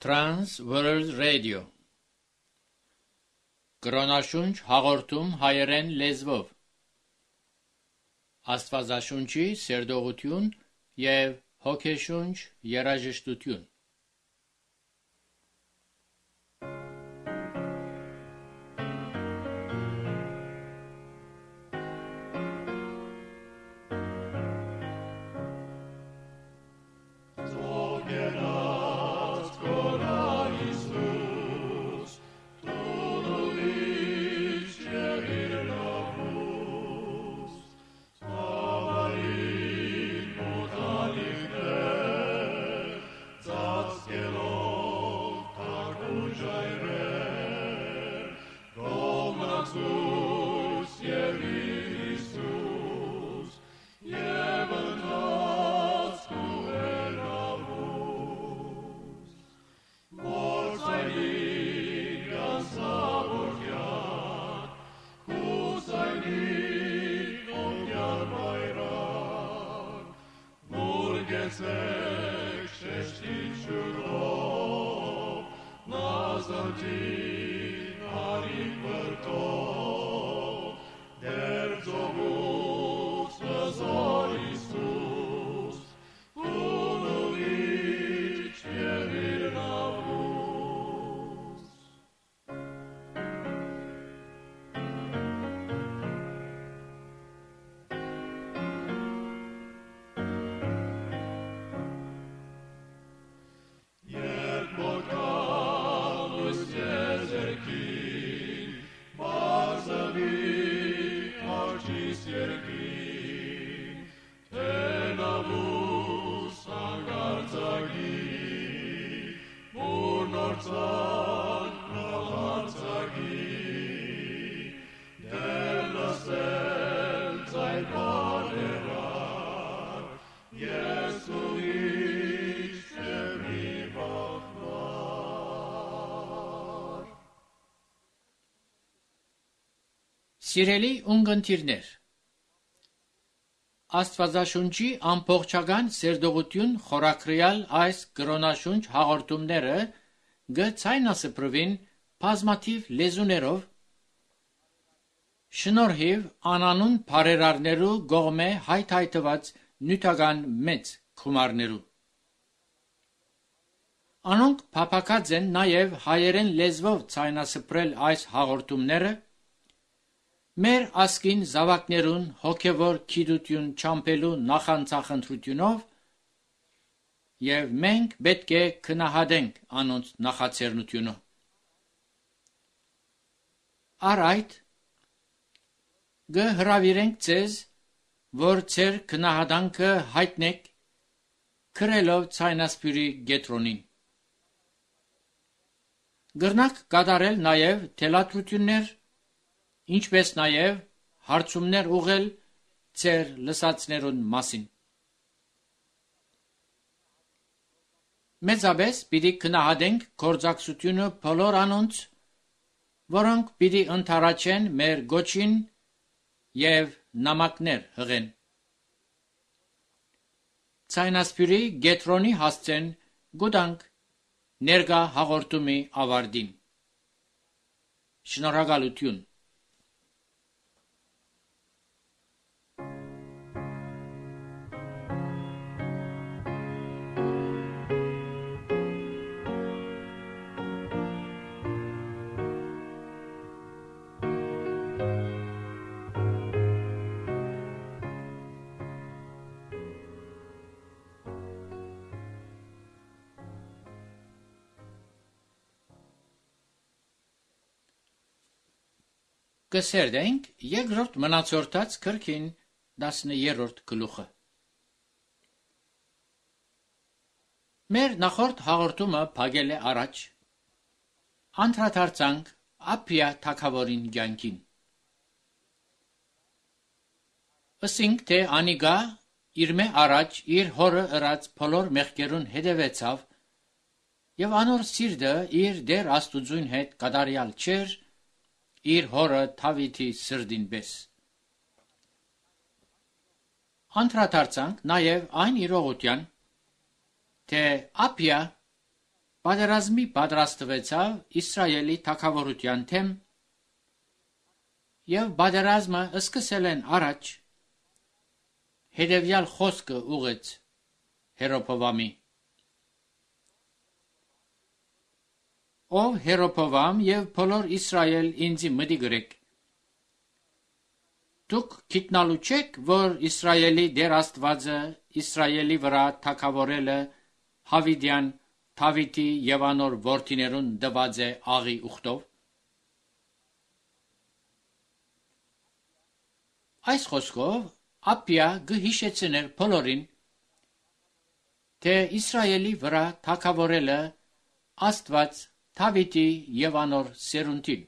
Trans World Radio Կրոնաշունչ հաղորդում հայերեն լեզվով Աստվածաշունչի սերտողություն և հոգեշունչ երաժշտություն Սիրելի ունգընտիրներ, Աստվածաշունչի ամբողջական սերտողություն խորագրյալ այս կրոնաշունչ հաղորդումները գցայնասպրվին բազմաթիվ լեզուներով շնորհիվ անանուն բարերարներու գողմե հայթայթված նյութական մեծ գումարներու Անոնք փափակած են նաև հայերեն լեզվով ցայնասպրել այս հաղորդումները Մեր ասկին զավակներուն հոգևոր գիտություն չամփելու նախանցախնդրությունով եւ մենք պետք է քնահատենք անոնց նախաձեռնությունը Արայդ գհրավիրենք ձեզ որ ձեր քնահատանքը հայտնեք քրելով ցայնասպիրի գետրոնին Գրնակ կատարել նաև թելադրություններ Ինչպես նաև հարցումներ ուղղել ձեր լսածներուն մասին։ Մեծապես պիտի քնահատենք գործակցությունը բոլոր անոնց, որոնք պիտի ընդառաջեն մեր գոչին եւ նամակներ հղեն։ Ցայնասպիրի գետրոնի հասցեն գուտանք ներկա հաղորդումի ավարտին։ Շնորհակալություն Կսերդենք երկրորդ մնացորդած քրքին 10-րդ գլուխը Մեր նախորդ հաղորդումը փակել է առաջ անդրադարձանք Ափիա թագավորին կյանքին Ասինք թե անիգա իր մե առաջ իր հորը ըրած բոլոր մեղքերուն հետևեցավ եւ անոր սիրտը իր դեր Աստուծուն հետ կատարյալ չէր իր հորը Դավիթի սրդին պես Անդրադարձանք նաև այն իրողության, թե Ափիա պատերազմի պատրաստվեցավ Իսրայելի թագավորության թեմ եւ պատերազմը սկսել են առաջ հետևյալ խոսքը ուղեց Հերոփովամի. Ով Հերոփովամ եւ բոլոր Իսրայել ինձի մտի գրեք. Դուք գիտնալու չեք, որ Իսրայելի Տեր Աստվածը Իսրայելի վրա թագավորել է Հավիդյան Դավիթի եւ անոր որդիներուն դված է աղի ուխտով։ Այս խոսքով Ափիա գհիշեցներ բոլորին, թե Իսրայելի վրա թագավորել է Աստված Դավիթի եւ անոր սերունդին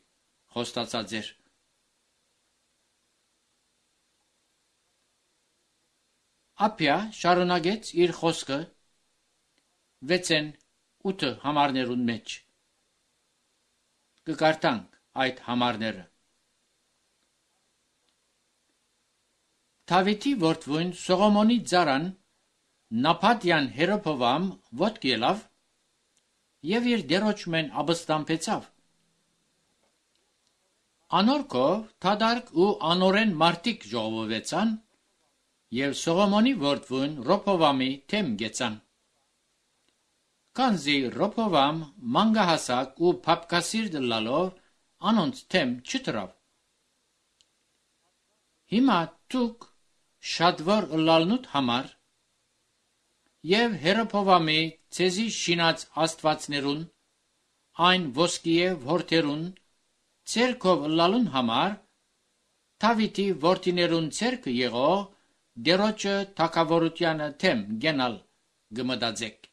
խոստացած էր։ Ափիա շարունակեց իր խոսքը 6-8 համարներուն մեջ։ Կկարդանք այդ համարները։ Դավիթի որդվույն Սողոմոնի ծառան Նապատյան Հերոփովամ ոտք ելավ եւ իր դերոճմեն ապստամբեցավ։ Անորքով թադարք ու անորեն մարդիկ ժողովեցան եւ Սողոմոնի որդվույն Ռոփովամի թեմ գեցան։ Քանզի Ռոփովամ մանգահասակ ու փապկասիրտ լալով անոնց թեմ չտրավ։ Հիմա դուք շատվոր լալնուտ համար եւ Հերոփովամի ցեզի շինած աստվածներուն այն ոսկիե որդերուն ցերկով լալուն համար Դավիթի որդիներուն ցերկը եղող դերոճը թագավորությանը թեմ գենալ գմդածեք։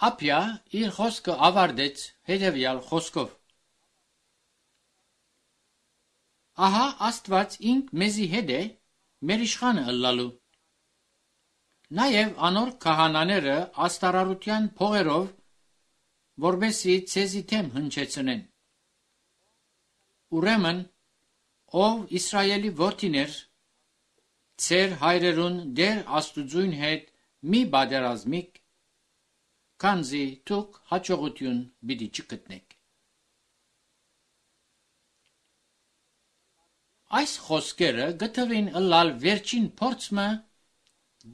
Ափիա իր խոսքը ավարտեց հետևյալ խոսքով. Ահա Աստված ինք մեզի հետ է մեր իշխանը ըլլալու։ Նաև անոր քահանաները աստարարության փողերով որբեսի ցեզի թեմ հնչեցնեն։ Ուրեմն ով Իսրայելի որդիներ ցեր հայրերուն դեր Աստուծույն հետ մի բادرազմիկ քանզի դուք հաջողություն պիտի չգտնեք։ Այս խոսքերը գտվին ըլլալ վերջին փորձը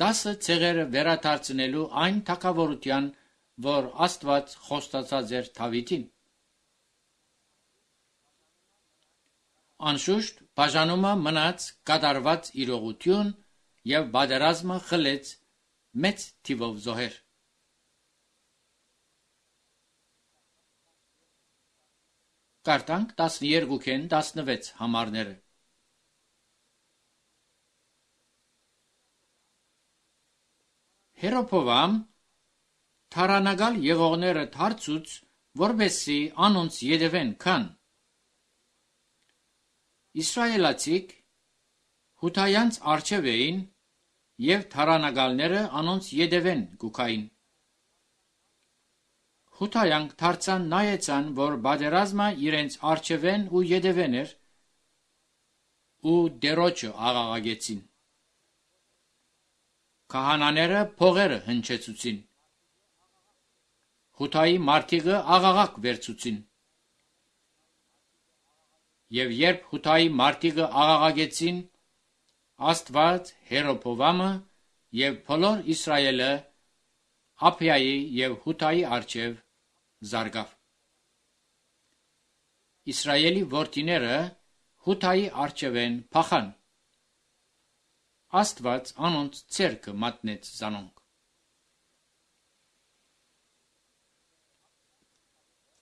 10 ցեղերը վերադարձնելու այն թագավորության, որ Աստված խոստացած էր Դավիթին։ Անշուշտ բաժանումը մնաց կատարված իրողություն եւ բادرազմը խլեց մեծ թիվով զոհեր։ Կարտանք 12-ին 16 համարները։ Հերոփովամ թարանագալ եղողները դարձուց, որբեսի անոնց յետևեն քան Իսրայելացիք հութայանց արջև էին եւ թարանագալները անոնց յետևեն գուքային։ Հութայանք դարձան նայեցան, որ բادرազմը իրենց արջևեն ու յետևեն էր ու դերոճը աղաղագեցին։ Քահանաները փողերը հնչեցուցին։ Հութայի մարդիկը աղաղակ վերցուցին։ Եվ երբ հութայի մարդիկը աղաղագեցին, Աստված Հերոփովամը եւ բոլոր Իսրայելը Ափիայի եւ Հութայի արջև զարգավ։ Իսրայելի որդիները Հութայի արջևեն փախան։ Աստված անոնց ցերկը մատնեց զանոնք։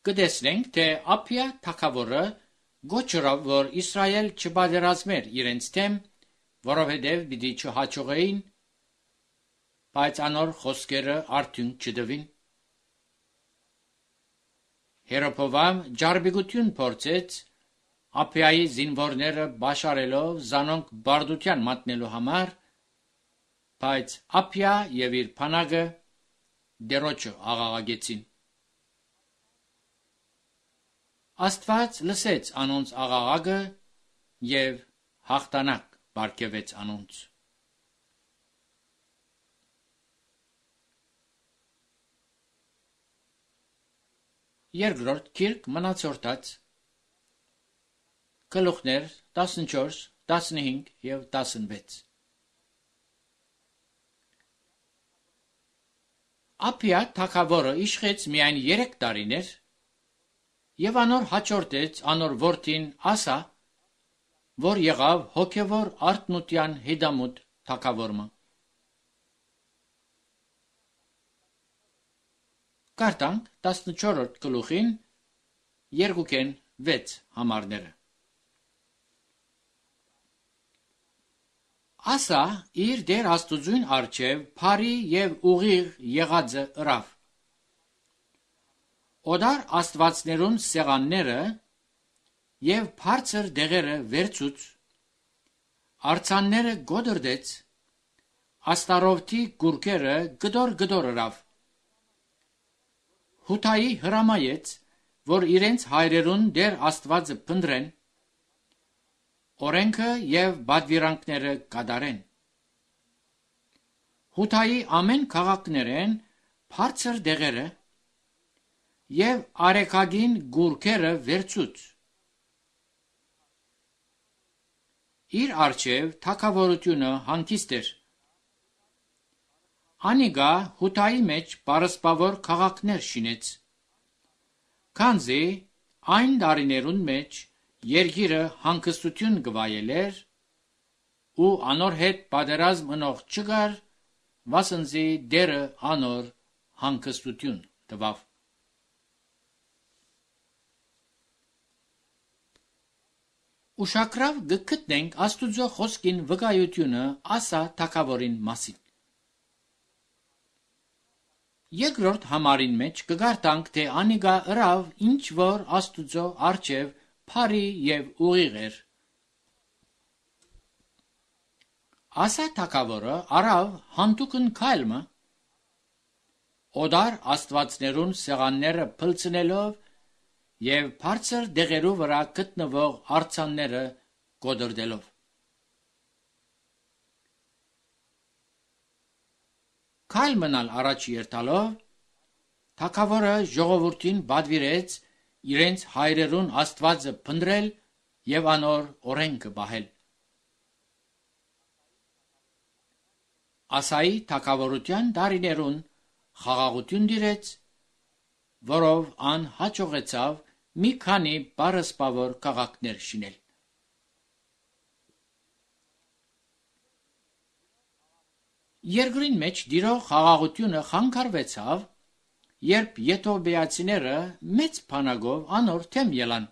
Կտեսնենք, թե Ափիա թագավորը գոչրավ, որ Իսրայել չբادرազմեր իրենց թեմ, որովհետև պիտի չհաջողեին, բայց անոր խոսքերը արդյունք չտվին։ Հերոփովամ ջարբիգություն փորձեց Ափիայի զինվորները բաշարելով զանոնք բարդության մատնելու համար, բայց Ափիա եւ իր փանագը դերոճը աղաղագեցին։ Աստված լսեց անոնց աղաղակը եւ հաղթանակ բարգեւեց անոնց։ Երկրորդ գիրք մնացորդած գլուխներ 14, 15 և 16 Ափիա թագավորը իշխեց միայն 3 տարիներ և անոր հաջորդեց անոր որդին Ասա, որ եղավ հոգևոր արթնության հետամուտ թագավորը։ Կարդանք 14-րդ գլուխին 2-6 համարները։ Ասա իր Տեր Աստուծուն առջև բարի և ուղիղ եղածը ըրավ։ Օդար աստվածներուն սեղանները և բարձր դեղերը վերցուց, արձանները գոդրդեց, աստարովթի գուրքերը գդոր ըրավ։ Հութայի հրամայեց, որ իրենց հայրերուն Տեր Աստվածը փնտրեն, օրենքը և պատվիրանքները կատարեն։ Հութայի ամեն քաղաքներեն բարձր դեղերը և արեգագին գուրքերը վերցուց։ Իր առջև թագավորությունը հանգիստ էր։ Անիկա հութայի մեջ պարսպավոր քաղաքներ շինեց, քանզի այն տարիներուն մեջ երկիրը հանգստություն կվայելեր ու անոր հետ պատերազմ ընող չկար, վասնզի Տերը անոր հանգստություն տվավ։ Ուշագրավ գտնենք Աստուծո խոսքին վկայությունը Ասա թագավորին մասին։ Երկրորդ համարին մեջ կգարտանք, թե անիկա ըրավ ինչ որ Աստուծո առջև բարի և ուղիղ էր։ Ասա թագավորը արավ հանդուկն քայլը, օդար աստվածներուն սեղանները փլցնելով և բարձր դեղերու վրա գտնվող արձանները գոդրդելով։ Քայլ մնալ առաջ երթալով, թագավորը ժողովրդին պատվիրեց իրենց հայրերուն Աստվածը փնտրել և անոր օրենքը պահել։ Ասայի թագավորության տարիներուն խաղաղություն տիրեց, որով ան հաջողեցավ մի քանի պարսպավոր քաղաքներ շինել։ Երկրին մեջ տիրող խաղաղությունը խանգարվեցավ, երբ եթովպիացիները մեծ բանակով անոր դեմ ելան։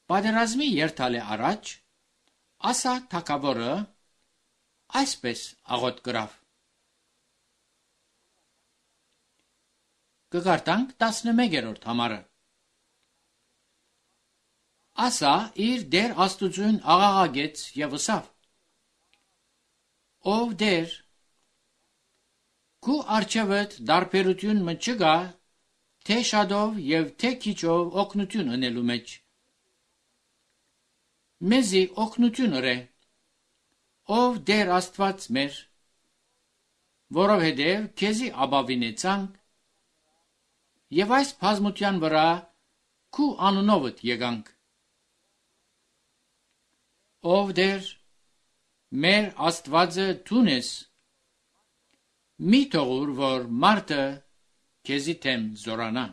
Պատերազմի երթալե առաջ Ասա թագավորը այսպես աղոթ կրավ։ Կգարտանք 11-րդ համարը։ Ասա իր Տեր Աստուծուն աղաղակեց և ըսավ. Ով Տեր, քու առջևդ տարբերություն մը չկա, թե շատով և թե քիչով օգնություն ընելու մեջ։ Մեզի օգնություն ըրե, ով Տեր Աստված մեր, որովհետև քեզի ապավինեցանք և այս բազմության վրա քու անունովդ եկանք։ Ով Տեր, մեր Աստվածը դուն ես, մի թողուր, որ մարդը քեզի դեմ զորանա։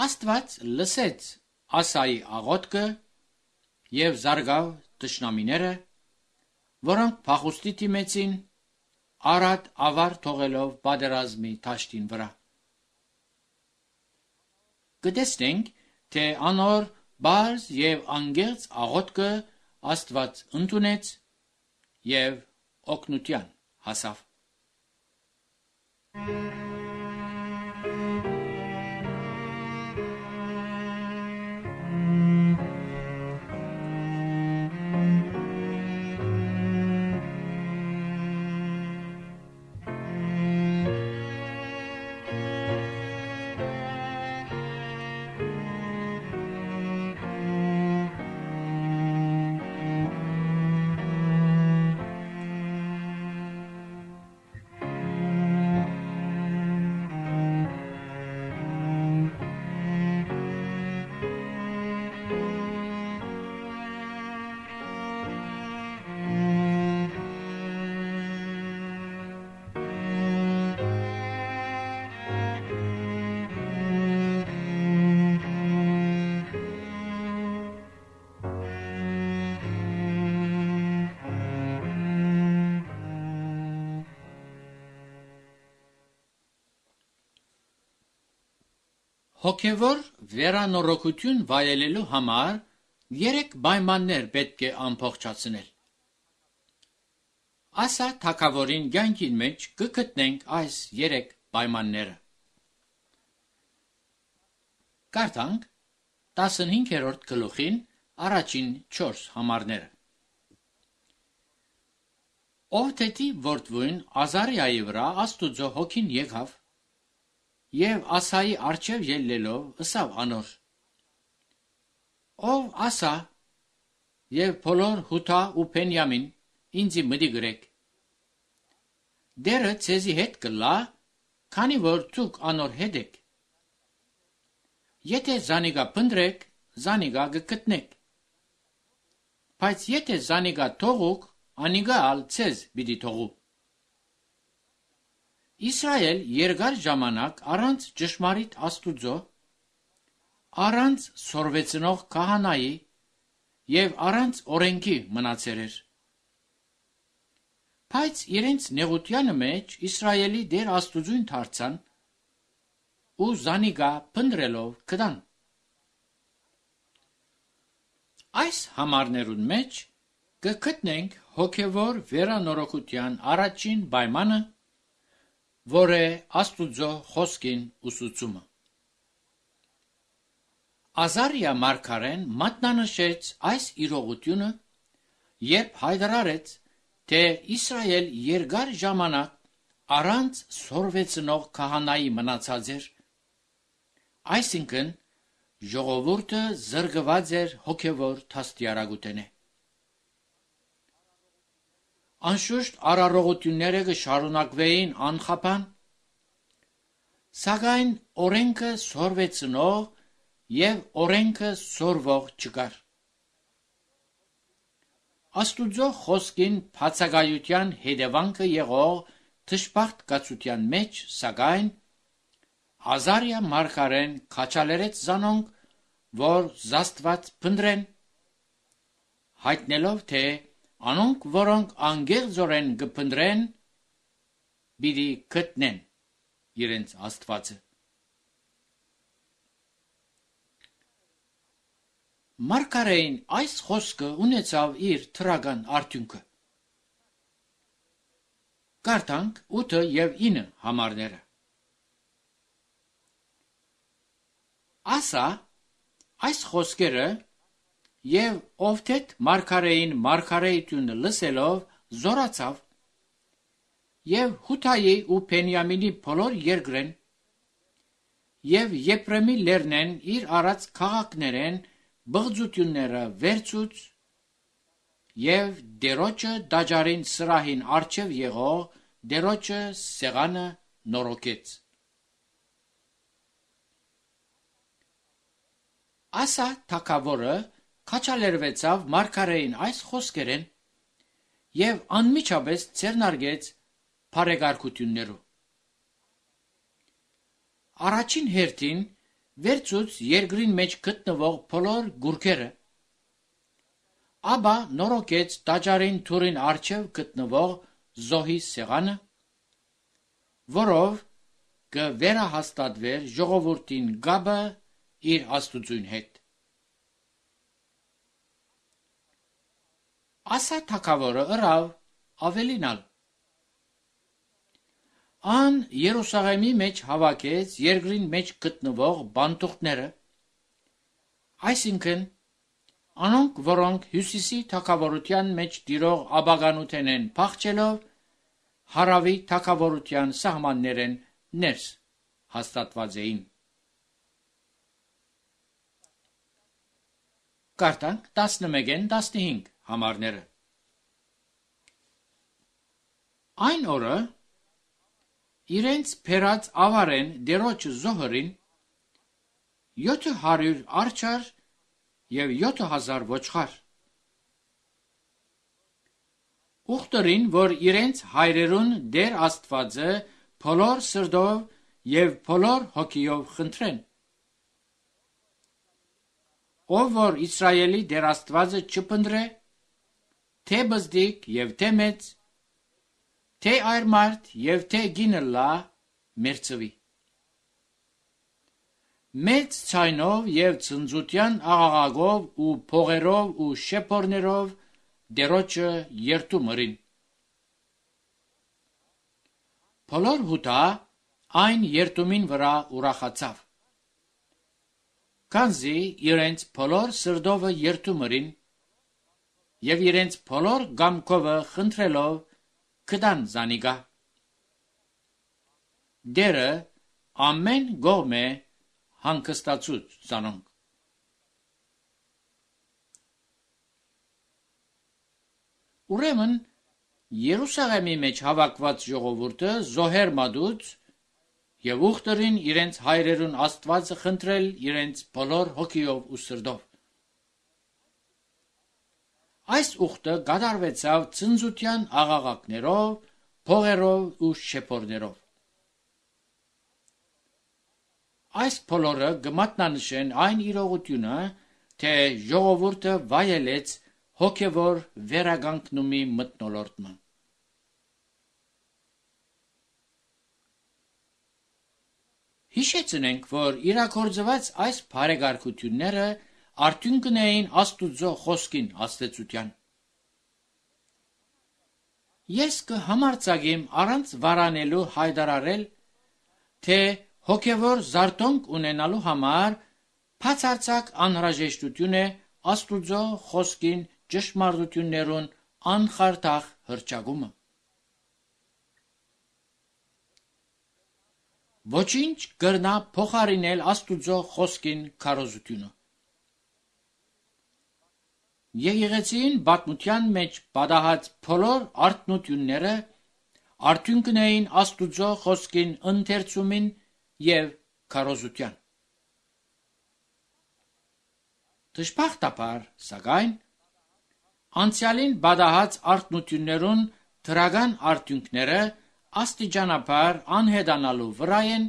Աստված լսեց Ասայի աղոթքը և զարգավ թշնամիները, որոնք փախուստի դիմեցին, առատ ավար թողելով պատերազմի դաշտին վրա։ Կտեսնենք, թե անոր բարձ և անկեղծ աղոթքը Աստված ընդունեց և օգնության հասավ։ Հոգևոր վերանորոգություն վայելելու համար 3 պայմաններ պետք է ամփոփչացնել։ Ասա թագավորին կյանքին մեջ կգտնենք այս 3 պայմանները։ Կարդանք 15-րդ գլուխին առաջին 4 համարները։ Ովթեթի որդվույն Ազարիայի վրա Աստուծո հոգին եկավ եւ Ասայի առջև ելնելով ըսավ անոր. Ով Ասա եւ բոլոր Հութա ու Փենյամին ինձի մտի գրեք։ Դերը ցեզի հետ կլա, քանի որ ցուկ անոր հետ եք։ Եթե զանիգա փնդրեք, զանիգա գտնեք։ Բայց եթե զանիգա թողուք, անիգա ալ ցեզ պիտի թողու։ Իսրայել երկար ժամանակ առանց ճշմարիտ Աստուծո, առանց սորվեցնող քահանայի եւ առանց օրենքի մնացեր էր։ Բայց իրենց նեղությանը մեջ Իսրայելի դեր Աստուծուն դարձան ու զանիգա փնդրելով կդան։ Այս համարներուն մեջ կգտնենք հոգևոր վերանորոգության առաջին պայմանը, որ է Աստուծո խոսքին ուսուցումը։ Ազարիա մարգարեն մատնանշեց այս իրողությունը, երբ հայտարարեց, թե Իսրայել երկար ժամանակ առանց սորվեցնող քահանայի մնացած էր, այսինքն ժողովուրդը զրկված էր հոգևոր թաստիարակութենե։ Անշուշտ արարողությունները կշարունակվեին անխափան, սակայն օրենքը սորվեցնող եւ օրենքը սորվող չկար։ Աստուծո խոսքին բացակայության հետևանքը եղող թշպախտ կացության մեջ, սակայն Ազարիա մարգարեն քաչալերեց զանոնք, որ զաստված փնդրեն, հայտնելով, թե անոնք, որոնք անգեղձորեն կփնդրեն, պիտի գտնեն իրենց Աստվածը։ Մարգարեին այս խոսքը ունեցավ իր թրական արդյունքը։ Կարդանք 8 եւ 9 համարները։ Ասա այս խոսքերը եւ Ովթեթ մարգարեին մարգարեությունը լսելով զորացավ եւ Հութայի ու Փենյամինի բոլոր երկրեն եւ Եփրեմի լեռնեն իր արած քաղաքներեն բղծությունները վերցուց եւ դերոջը դաջարին սրահին առջև եղող դերոջը սեղանը նորոգեց։ Ասա թագավորը քաչալերվեցավ մարգարեին այս խոսքերեն եւ անմիջապես ձեռնարկեց բարեկարգություններով։ Առաջին հերթին վերցուց երկրին մեջ գտնվող բոլոր գուրքերը, ապա նորոգեց տաճարին թուրին առջև գտնվող զոհի սեղանը, որով կվերահաստատվեր ժողովրդին գաբը իր Աստուծուն հետ։ Ասա թագավորը ըրավ ավելինալ։ Ան Երուսաղեմի մեջ հավաքեց երկրին մեջ գտնվող բանտուղները, այսինքն անոնք, որոնք հյուսիսի թագավորության մեջ տիրող աբականութեն են փախչելով, հարավի թագավորության սահմաններեն ներս հաստատված էին։ Կարդանք 11-15 համարները։ Այն օրը իրենց փերած ավարեն դերոջը զոհրին 700 արջար եւ 7000 ոչխար։ Ուխտերին, որ իրենց հայրերուն դեր Աստվածը բոլոր սրտով եւ բոլոր հոգիով խնդրեն։ Ով որ Իսրայելի դեր Աստվածը չփնդրե, թե բզդիկ եւ թե մեծ, թե այրմարդ եւ թե գինը լա մերծվի։ մեծ ցայնով եւ ցնծության աղաղակով ու փողերով ու շեփորներով դերոջը երթում ըրին։ Բոլոր հուտա այն երթումին վրա ուրախացավ։ Քանզի իրենց բոլոր սրտովը երթում ըրին եւ իրենց բոլոր գամքովը խնդրելով կդան զանիգա։ Դերը ամեն գողմե հանգստացուց զանոնք։ Ուրեմն Երուսաղեմի մեջ հավաքված ժողովուրդը զոհեր մատուց եւ ուխտերին իրենց հայրերուն Աստվածը խնդրել իրենց բոլոր հոգիով ու սրտով։ Այս ուխտը կատարվեցավ ցնծության աղաղակներով, փողերով ու շեփորներով։ Այս բոլորը կմատնանշեն այն իրողությունը, թե ժողովուրդը վայելեց հոգևոր վերագանքնումի մթնոլորտը։ Հիշեցնենք, որ իրագործված այս բարեգարկությունները արդյունքն էին Աստուծո խոսքին աստեցության։ Ես կհամարձակեմ առանց վարանելու հայտարարել, թե հոգևոր զարթոնք ունենալու համար բացարձակ անհրաժեշտություն է Աստուծո խոսքին ճշմարտություններուն անխարդախ հռչակումը։ Ոչինչ կրնա փոխարինել Աստուծո խոսքին քարոզությունը։ Եկեղեցին պատմության մեջ պատահած բոլոր արթնությունները արդյունքն էին Աստուծո խոսքին ընթերցումին եւ քարոզության։ Դժբախտաբար, սակայն, անցյալին պատահած արթնություններուն դրական արդյունքները աստիճանաբար անհետանալու վրա են,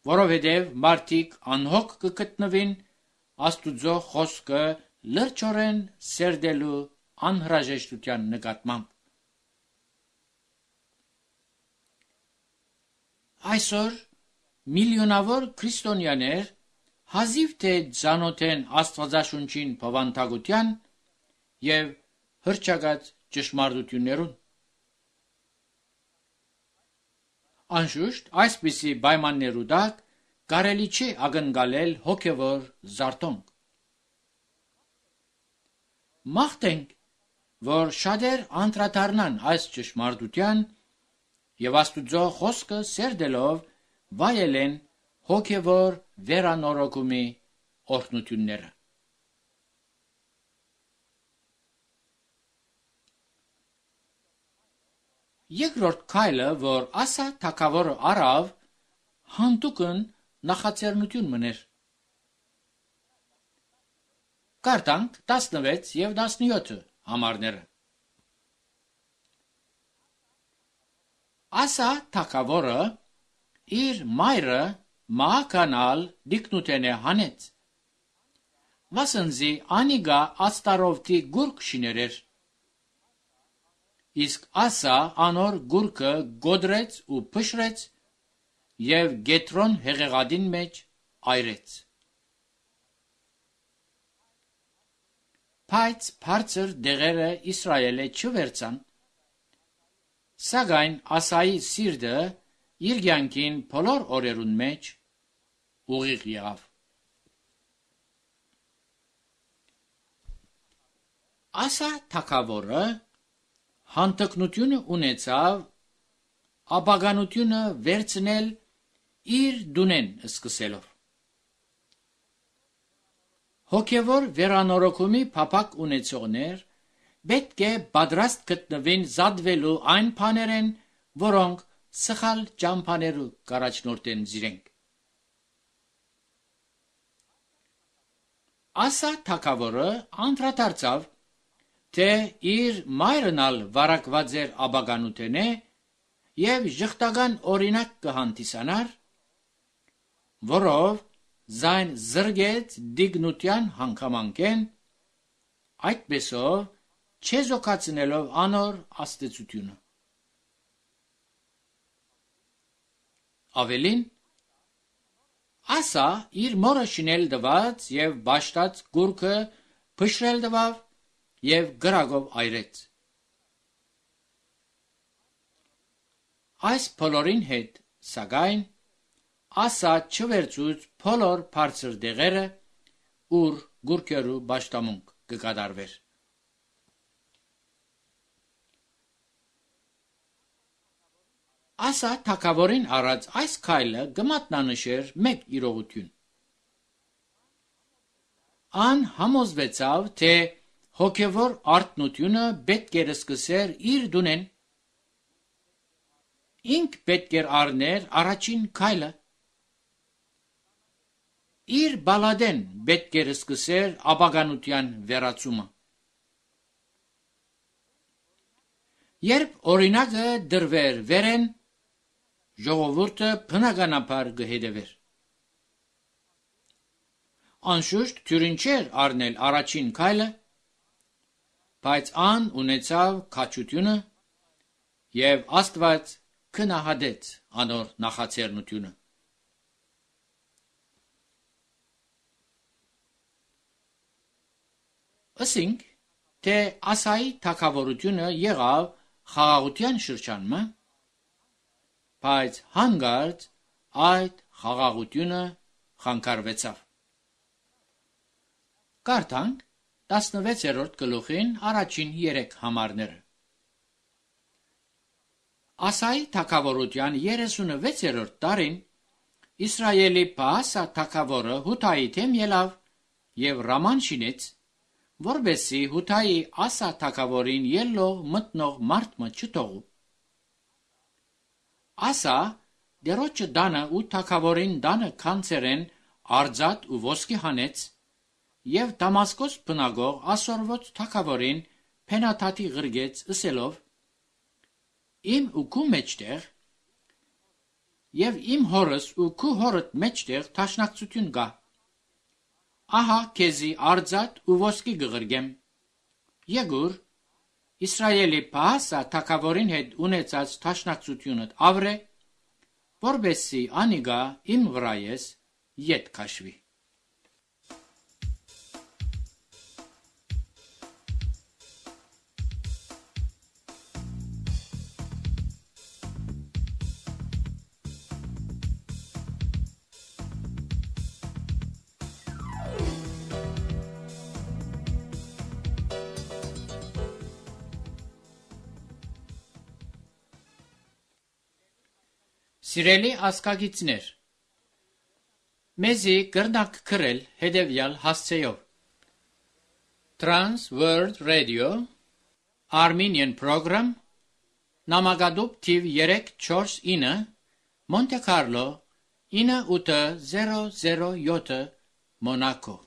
որովհետև մարդիկ անհոգ կգտնվին Աստուծո խոսքը լրջորեն սերդելու անհրաժեշտության նկատմամբ։ Այսօր միլիոնավոր քրիստոնյաներ հազիվ թե ծանոթ են Աստվածաշունչին բավանդակության եւ հռչակած ճշմարտություններուն։ Անշուշտ, այսպիսի պայմաններու տակ կարելի չի ակնկալել հոգևոր զարթոնք։ Մաղթենք, որ շատեր անդրադառնան այս ճշմարտության եւ Աստուծո խոսքը սերդելով վայելեն հոգևոր վերանորոգումի օրհնությունները։ Երկրորդ քայլը, որ Ասա թագավորը արավ, հանդուկն նախաձեռնություն մներ։ Կարդանք 16 եւ 17 համարները։ Ասա թագավորը իր մայրը Մահականալ դիկնութենե հանեց, վասնզի անիգա աստարովտի գուրկ շիներեր, իսկ Ասա անոր գուրկը գոդրեց ու փշրեց եւ Գետրոն հեղեղադին մեջ այրեց։ Բայց բարձր դեղերը Իսրայելը չվերցան, սակայն Ասայի սիրտը իր կյանքին բոլոր օրերուն մեջ ուղիղ եղավ։ Ասա թագավորը հանդգնությունը ունեցավ ապագանությունը վերցնել իր դունեն սկսելով։ Հոգևոր վերանորոգումի փափակ ունեցողներ պետք է պատրաստ գտնվին զատվելու այն բաներեն, որոնք սխալ ճամփաներու կառաջնորդեն զիրենք։ Ասա թագավորը անդրադարձավ, թե իր մայրնալ վարակված էր ապագանութենե եւ ժխտական օրինակ կհանդիսանար, որով զայն զրգեց դիգնության հանգամանքեն, այդպեսով չեզոքացնելով անոր աստեցությունը։ Ավելին, Ասա իր մորը շինել դված եւ բաշտած գուրքը փշրել դվավ եւ գրագով այրեց։ Այս բոլորին հետ սակայն ասա չվերցուց բոլոր բարձր դեղերը, ուր գուրքերու բաշտամունք կկատարվեր։ Ասա թագավորին առած այս քայլը գմատնանշեր մեկ իրողություն։ Ան համոզվեցավ, թե հոգևոր արթնությունը պետք էր սկսեր իր դունեն։ Ինք պետք էր առներ առաջին քայլը։ Իր բալադեն պետք էր սկսեր ապագանության վերացումը։ Երբ օրինակը դրվեր վերեն, ժողովուրդը բնականաբար կհետևեր։ Անշուշտ թյուրին չէր առնել առաջին քայլը, բայց ան ունեցավ քաջությունը եւ Աստված քնահատեց անոր նախաձեռնությունը։ Ասենք, թե Ասայի թագավորությունը եղավ խաղաղության շրջանը, բայց հանգարց այդ խաղաղությունը խանգարվեցավ։ Կարդանք 16-րդ գլուխին առաջին 3 համարները։ Ասայի թագավորության 36-րդ տարին Իսրայելի Բաասա թագավորը Հութայի դեմ ելավ եւ Ռաման շինեց, որբեսի Հութայի Ասա թագավորին ելլող մտնող մարդը չթողու։ Ասա դերոջը դանը ու թագավորին դանը քանցերեն արձատ ու ոսկի հանեց եւ Դամասկոս բնագող ասորոց թագավորին փենաթաթի գրգեց ըսելով. Իմ ու քու մեջտեղ եւ իմ հորս ու քու հորդ մեջտեղ թաշնակցություն կա։ Ահա քեզի արձատ ու ոսկի գղրգեմ։ Եգուր Իսրայելի Բաասա թագավորին հետ ունեցած թաշնակցությունդ ավրե, որբեսի անիգա իմ վրայես ետ քաշվի։ Սիրելի ասկագիցներ, մեզի կրնակ քրել հետևյալ հասցեով. Trans World Radio Armenian Program Նամակադուպ թիվ 349 Monte Carlo 9807 Monaco